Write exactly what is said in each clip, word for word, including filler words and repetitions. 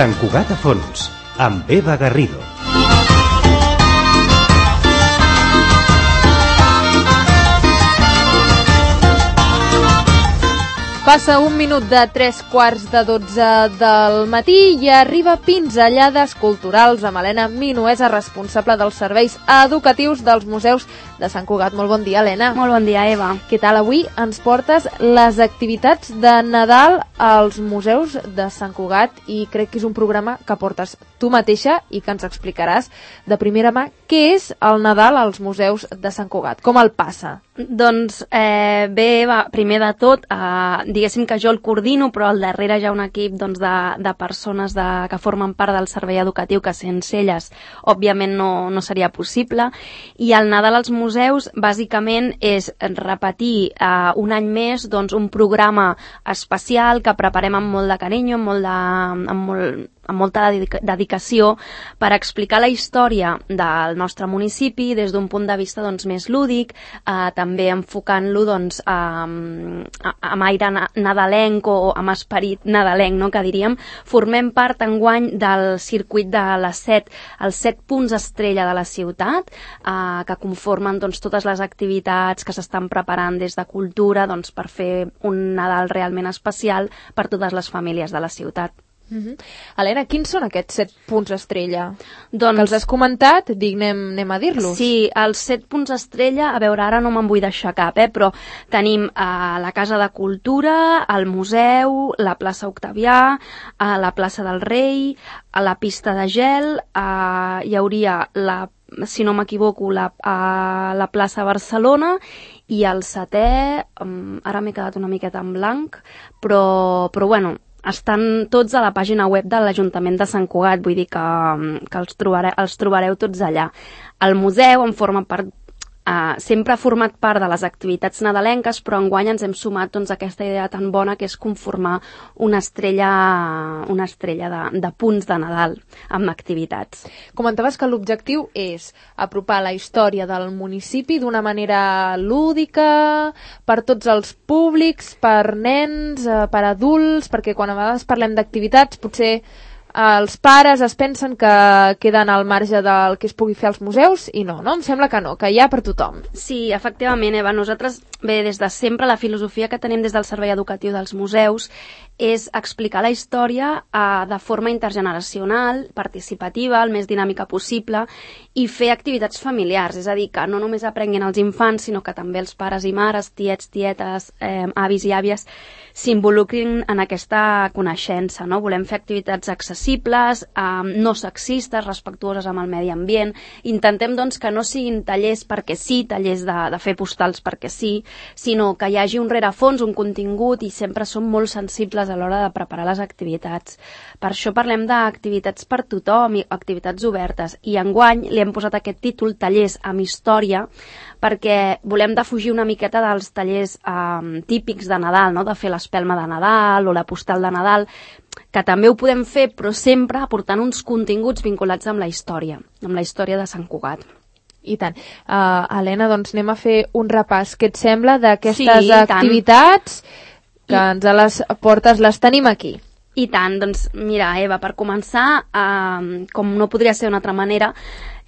Sant Cugat a fons, amb Eva Garrido. Passa un minut de tres quarts de dotze del matí i arriba Pinzellades Culturals amb Helena Minuesa, responsable dels serveis educatius dels museus de Sant Cugat. Molt bon dia, Helena. Molt bon dia, Eva. Què tal? Avui ens portes les activitats de Nadal als museus de Sant Cugat i crec que és un programa que portes tu mateixa i que ens explicaràs de primera mà què és el Nadal als museus de Sant Cugat, com el passa. Doncs eh, bé, Eva, primer de tot, eh, diguéssim que jo el coordino, però al darrere hi ha un equip doncs, de, de persones de, que formen part del servei educatiu, que sense elles, òbviament, no, no seria possible. I el Nadal als museus, bàsicament, és repetir eh, un any més doncs, un programa especial que preparem amb molt de carinyo, amb, molt de, amb, molt, amb molta dedicació per explicar la història del nostre municipi des d'un punt de vista doncs, més lúdic, eh, també enfocant-lo doncs, amb, amb aire nadalenc o amb esperit nadalenc, no? Que diríem. Formem part enguany del circuit de les set, els set punts estrella de la ciutat, eh, que conformen doncs, totes les activitats que s'estan preparant des de cultura doncs, per fer un Nadal realment especial per totes les famílies de la ciutat. Uh-huh. Helena, quins són aquests set punts estrella? Doncs, que els has comentat, dic, anem, anem a dir-los. Sí, els set punts estrella, a veure, ara no me'n vull deixar cap, eh, però tenim eh, la Casa de Cultura, el Museu, la plaça Octavià, eh, la plaça del Rei, a la pista de gel, eh, hi hauria, la, si no m'equivoco, la, eh, la plaça Barcelona, i el setè, um, ara m'he quedat una miqueta en blanc, però, però bueno, estan tots a la pàgina web de l'Ajuntament de Sant Cugat, vull dir que, que els, trobareu, els trobareu tots allà. El museu en forma part, eh, sempre ha format part de les activitats nadalenques, però enguany ens hem sumat doncs, a aquesta idea tan bona que és conformar una estrella, una estrella de, de punts de Nadal amb activitats. Comentaves que l'objectiu és apropar la història del municipi d'una manera lúdica, per tots els públics, per nens, per adults, perquè quan a vegades parlem d'activitats potser els pares es pensen que queden al marge del que es pugui fer als museus i no, no? Em sembla que no, que hi ha per tothom. Sí, efectivament, Eva. Nosaltres, bé, des de sempre la filosofia que tenim des del servei educatiu dels museus és explicar la història eh, de forma intergeneracional, participativa, el més dinàmica possible i fer activitats familiars, és a dir, que no només aprenguin els infants, sinó que també els pares i mares, tiets, tietes, eh, avis i àvies s'involucrin en aquesta coneixença, no? Volem fer activitats accessibles, eh, no sexistes, respectuoses amb el medi ambient. Intentem, doncs, que no siguin tallers perquè sí, tallers de, de fer postals perquè sí, sinó que hi hagi un rerefons, un contingut, i sempre som molt sensibles a l'hora de preparar les activitats. Per això parlem d'activitats per tothom i activitats obertes. I enguany li hem posat aquest títol, Tallers amb Història, perquè volem defugir una miqueta dels tallers eh, típics de Nadal, no? De fer l'espelma de Nadal o la postal de Nadal, que també ho podem fer, però sempre aportant uns continguts vinculats amb la història, amb la història de Sant Cugat. I tant. Uh, Helena, doncs anem a fer un repàs. Què et sembla d'aquestes sí, activitats que I... ens a les portes les tenim aquí? I tant, doncs mira, Eva, per començar, eh, com no podria ser d'una altra manera,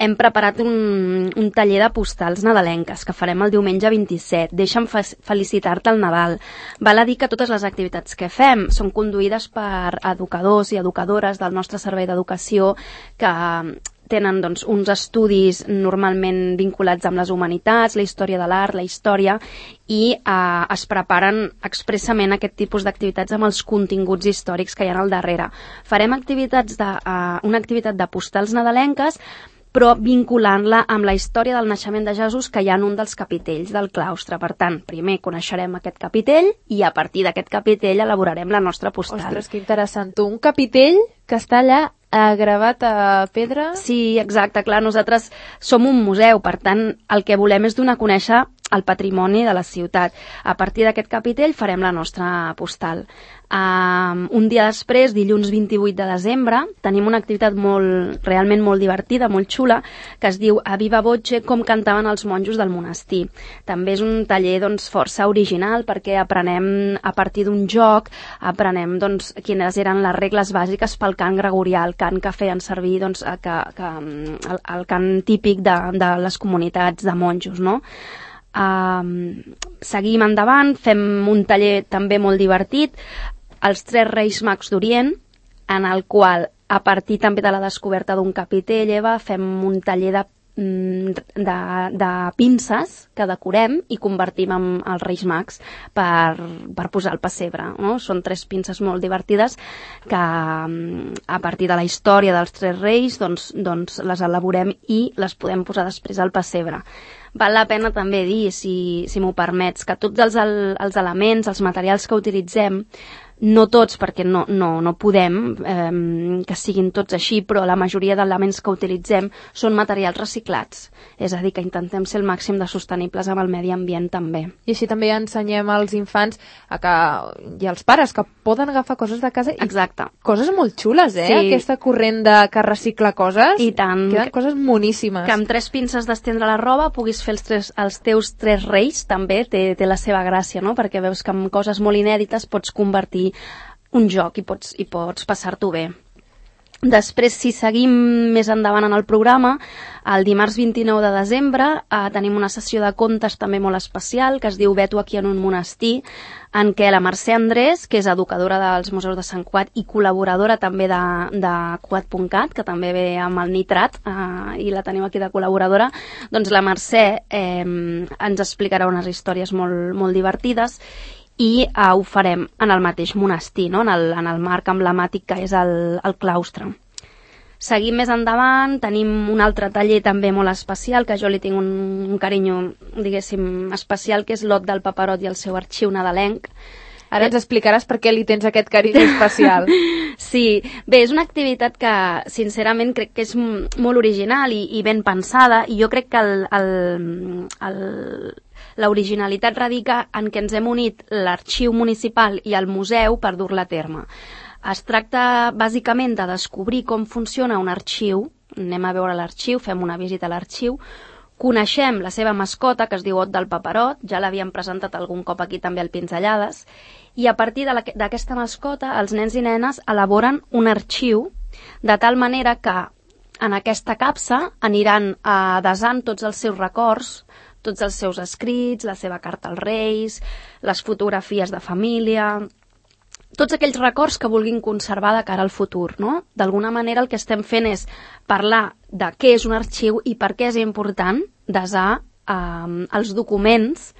hem preparat un, un taller de postals nadalenques que farem el diumenge vint-i-set. Deixa'm felicitar-te al Nadal. Val a dir que totes les activitats que fem són conduïdes per educadors i educadores del nostre servei d'educació que tenen doncs, uns estudis normalment vinculats amb les humanitats, la història de l'art, la història, i eh, es preparen expressament aquest tipus d'activitats amb els continguts històrics que hi ha al darrere. Farem activitats de, eh, una activitat de postals nadalenques, però vinculant-la amb la història del naixement de Jesús que hi ha en un dels capitells del claustre. Per tant, primer coneixerem aquest capitell i a partir d'aquest capitell elaborarem la nostra postal. Ostres, que interessant. Un capitell que està allà eh, gravat a pedra? Sí, exacte. Clar, nosaltres som un museu, per tant, el que volem és donar a conèixer el patrimoni de la ciutat. A partir d'aquest capitell farem la nostra postal. Um, un dia després, dilluns vint-i-vuit de desembre, tenim una activitat molt, realment molt divertida, molt xula, que es diu A Viva Voce, com cantaven els monjos del monestir. També és un taller doncs, força original perquè aprenem a partir d'un joc, aprenem doncs, quines eren les regles bàsiques pel cant gregorià, el cant que feien servir doncs, que, que, el, el cant típic de, de les comunitats de monjos, no? Uh, seguim endavant, fem un taller també molt divertit, els Tres Reis Mags d'Orient, en el qual, a partir també de la descoberta d'un capitell, Eva, fem un taller de, de, de pinces que decorem i convertim en els Reis Mags per, per posar al pessebre, no? Són tres pinces molt divertides que, a partir de la història dels Tres Reis, doncs, doncs les elaborem i les podem posar després al pessebre. Val la pena també dir, si, si m'ho permets, que tots els, els elements, els materials que utilitzem, no tots, perquè no, no, no podem eh, que siguin tots així, però la majoria d'elements que utilitzem són materials reciclats. És a dir, que intentem ser el màxim de sostenibles amb el medi ambient també. I així també ensenyem als infants a que, i als pares que poden agafar coses de casa i Exacte. Coses molt xules, eh? Sí. Aquesta corrent de que recicla coses. I tant. Queden coses moníssimes. Que amb tres pinces d'estendre la roba puguis fer els, tres, els teus tres reis també té, té la seva gràcia, no? Perquè veus que amb coses molt inèdites pots convertir un joc i pots, i pots passar-t'ho bé. Després, si seguim més endavant en el programa, el dimarts vint-i-nou de desembre eh, tenim una sessió de contes també molt especial que es diu Vet-ho aquí en un monestir, en què la Mercè Andrés, que és educadora dels Museus de Sant Cugat i col·laboradora també de, de Cugat punt cat, que també ve amb el Nitrat eh, i la tenim aquí de col·laboradora, doncs la Mercè eh, ens explicarà unes històries molt, molt divertides i uh, ho farem en el mateix monestir, no? en, el, en el marc emblemàtic que és el, el claustre. Seguim més endavant, tenim un altre taller també molt especial, que jo li tinc un, un carinyo, diguéssim, especial, que és l'Ot del Paperot i el seu arxiu nadalenc. Ara ens explicaràs per què li tens aquest carinyo especial. Sí, bé, és una activitat que, sincerament, crec que és molt original i, i ben pensada, i jo crec que el... el, el l'originalitat radica en què ens hem unit l'arxiu municipal i el museu per dur-la a terme. Es tracta bàsicament de descobrir com funciona un arxiu, anem a veure l'arxiu, fem una visita a l'arxiu, coneixem la seva mascota, que es diu Ot del Paperot, ja l'havíem presentat algun cop aquí també al Pinzellades, i a partir d'aquesta mascota els nens i nenes elaboren un arxiu de tal manera que en aquesta capsa aniran eh, desant tots els seus records, tots els seus escrits, la seva carta als Reis, les fotografies de família, tots aquells records que vulguin conservar de cara al futur, no? D'alguna manera el que estem fent és parlar de què és un arxiu i per què és important desar eh, els documents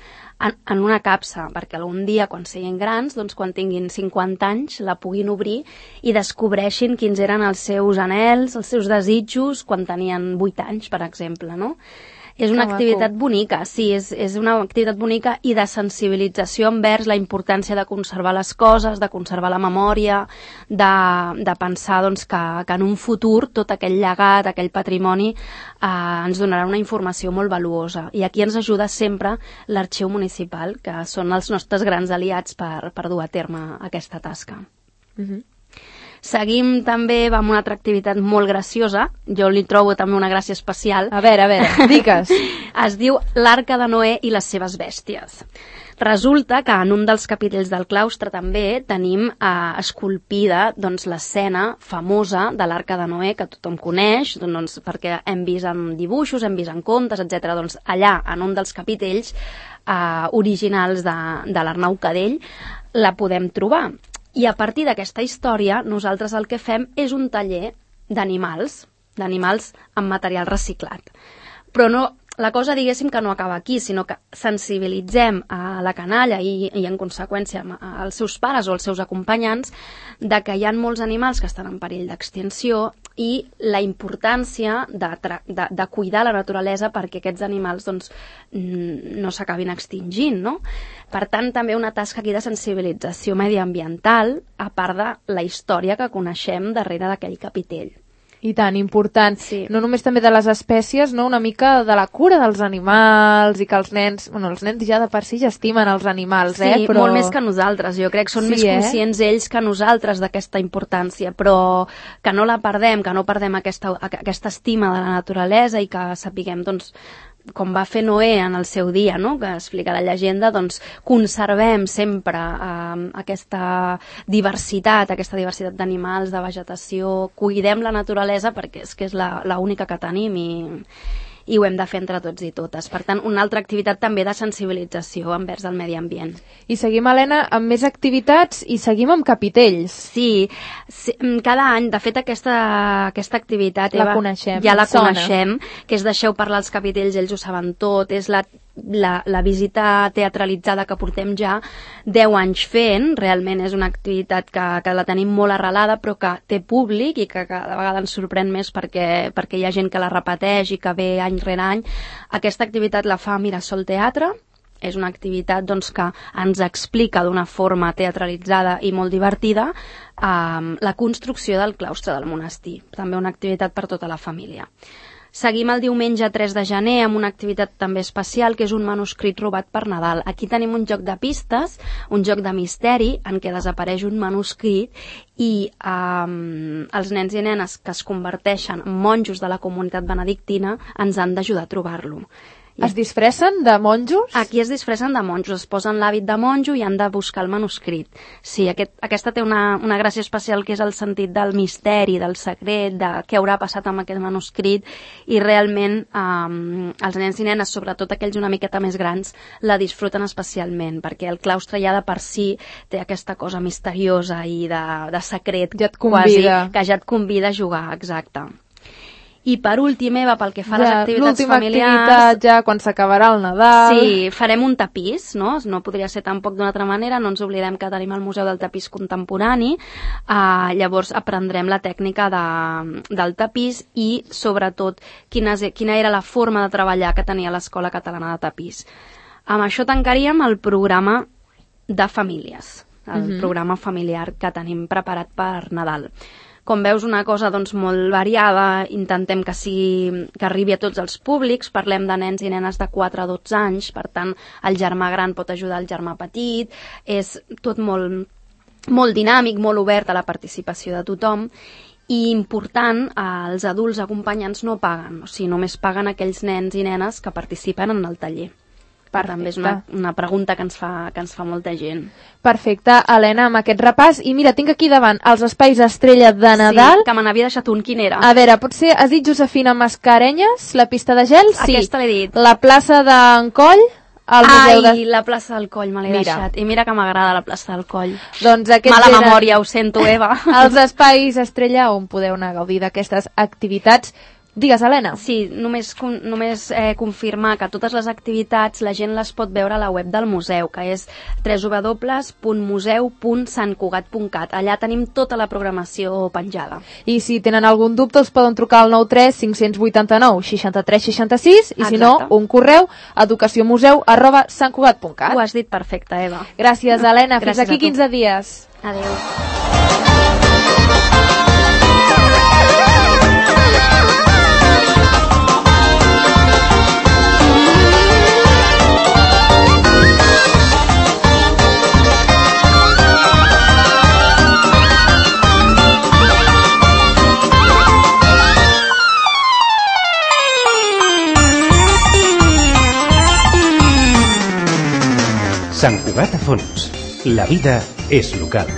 en, en una capsa, perquè algun dia, quan siguin grans, doncs quan tinguin cinquanta anys, la puguin obrir i descobreixin quins eren els seus anhels, els seus desitjos, quan tenien vuit anys, per exemple, no? És una que activitat maco. bonica, sí, és, és una activitat bonica i de sensibilització envers la importància de conservar les coses, de conservar la memòria, de, de pensar doncs, que, que en un futur tot aquell llegat, aquell patrimoni eh, ens donarà una informació molt valuosa. I aquí ens ajuda sempre l'arxiu municipal, que són els nostres grans aliats per, per dur a terme aquesta tasca. Mhm. Seguim també amb una altra activitat molt graciosa, jo li trobo també una gràcia especial. A veure, a veure, digues. Es diu l'Arca de Noé i les seves bèsties. Resulta que en un dels capitells del claustre també tenim eh, esculpida doncs, l'escena famosa de l'Arca de Noé, que tothom coneix, doncs, perquè hem vist en dibuixos, hem vist en contes, etcètera. Doncs allà, en un dels capitells eh, originals de, de l'Arnau Cadell, la podem trobar. I a partir d'aquesta història, nosaltres el que fem és un taller d'animals, d'animals amb material reciclat. Però no, la cosa, diguéssim, que no acaba aquí, sinó que sensibilitzem a la canalla i, i en conseqüència als seus pares o als seus acompanyants de que hi ha molts animals que estan en perill d'extinció i la importància de, de, de cuidar la naturalesa perquè aquests animals doncs, no s'acabin extingint, no? Per tant, també una tasca aquí de sensibilització mediambiental, a part de la història que coneixem darrere d'aquell capitell. I tant, important. Sí. No només també de les espècies, no? Una mica de la cura dels animals i que els nens... Bueno, els nens ja de per si ja estimen els animals, sí, eh? Sí, però... molt més que nosaltres. Jo crec que són sí, més eh? conscients ells que nosaltres d'aquesta importància, però que no la perdem, que no perdem aquesta, aquesta estima de la naturalesa i que sapiguem, doncs, com va fer Noé en el seu dia, no? Que explica la llegenda, doncs conservem sempre eh, aquesta diversitat, aquesta diversitat d'animals, de vegetació, cuidem la naturalesa perquè és que és l'única que tenim i, i ho hem de fer entre tots i totes. Per tant, una altra activitat també de sensibilització envers el medi ambient. I seguim, Helena, amb més activitats i seguim amb capitells. Sí, sí cada any, de fet, aquesta, aquesta activitat... La Eva, coneixem. Ja la Sona. coneixem, que és deixeu parlar els capitells, ells ho saben tot, és la La, la visita teatralitzada que portem ja deu anys fent. Realment és una activitat que, que la tenim molt arrelada però que té públic i que cada vegada ens sorprèn més perquè, perquè hi ha gent que la repeteix i que ve any rere any. Aquesta activitat la fa Mirasol Teatre, és una activitat doncs, que ens explica d'una forma teatralitzada i molt divertida eh, la construcció del claustre del monestir, també una activitat per tota la família. Seguim el diumenge tres de gener amb una activitat també especial, que és un manuscrit robat per Nadal. Aquí tenim un joc de pistes, un joc de misteri, en què desapareix un manuscrit i um, els nens i nenes que es converteixen en monjos de la comunitat benedictina ens han d'ajudar a trobar-lo. Es disfressen de monjos? Aquí es disfressen de monjos, es posen l'hàbit de monjo i han de buscar el manuscrit. Sí, aquest, aquesta té una, una gràcia especial que és el sentit del misteri, del secret, de què haurà passat amb aquest manuscrit i realment um, els nens i nenes, sobretot aquells una miqueta més grans, la disfruten especialment perquè el claustre ja de per si té aquesta cosa misteriosa i de, de secret ja et convida. Quasi, que ja et convida a jugar, exacte. I per últim, Eva, pel que fa a ja, les activitats familiars... L'última activitat ja quan s'acabarà el Nadal... Sí, farem un tapís, no? No podria ser tampoc d'una altra manera, no ens oblidem que tenim el Museu del Tapís Contemporani, uh, llavors aprendrem la tècnica de, del tapís i, sobretot, quina, quina era la forma de treballar que tenia l'Escola Catalana de Tapís. Amb això tancaríem el programa de famílies, el uh-huh. programa familiar que tenim preparat per Nadal. Com veus, una cosa doncs, molt variada, intentem que, sigui, que arribi a tots els públics, parlem de nens i nenes de quatre a dotze anys, per tant, el germà gran pot ajudar el germà petit, és tot molt, molt dinàmic, molt obert a la participació de tothom, i important, els adults acompanyants no paguen, o sigui, només paguen aquells nens i nenes que participen en el taller. Perfecte. També és una, una pregunta que ens, fa, que ens fa molta gent. Perfecte, Helena, amb aquest repàs. I mira, tinc aquí davant els espais estrella de Nadal. Sí, que me n'havia deixat un. Quin era? A veure, potser has dit Josefina Mascarenyes, la pista de gel? Sí. Aquesta l'he dit. La plaça d'en Coll? El museu Ai, de... la plaça del Coll, me l'he deixat. I mira que m'agrada la plaça del Coll. Doncs Mala eren... memòria, ho sento, Eva. Els espais estrella on podeu anar a gaudir d'aquestes activitats. Digues, Helena. Sí, només, només eh, confirmar que totes les activitats la gent les pot veure a la web del museu, que és w w w punt museu punt sant cugat punt cat. Allà tenim tota la programació penjada. I si tenen algun dubte us poden trucar al nou tres cinc vuit nou seixanta-tres seixanta-sis i si no, un correu educaciomuseu arroba sant cugat punt cat. Ho has dit perfecte, Eva. Gràcies, Helena. Fins Gràcies aquí quinze dies. Adéu. Sant Cugat a fons. La vida és local.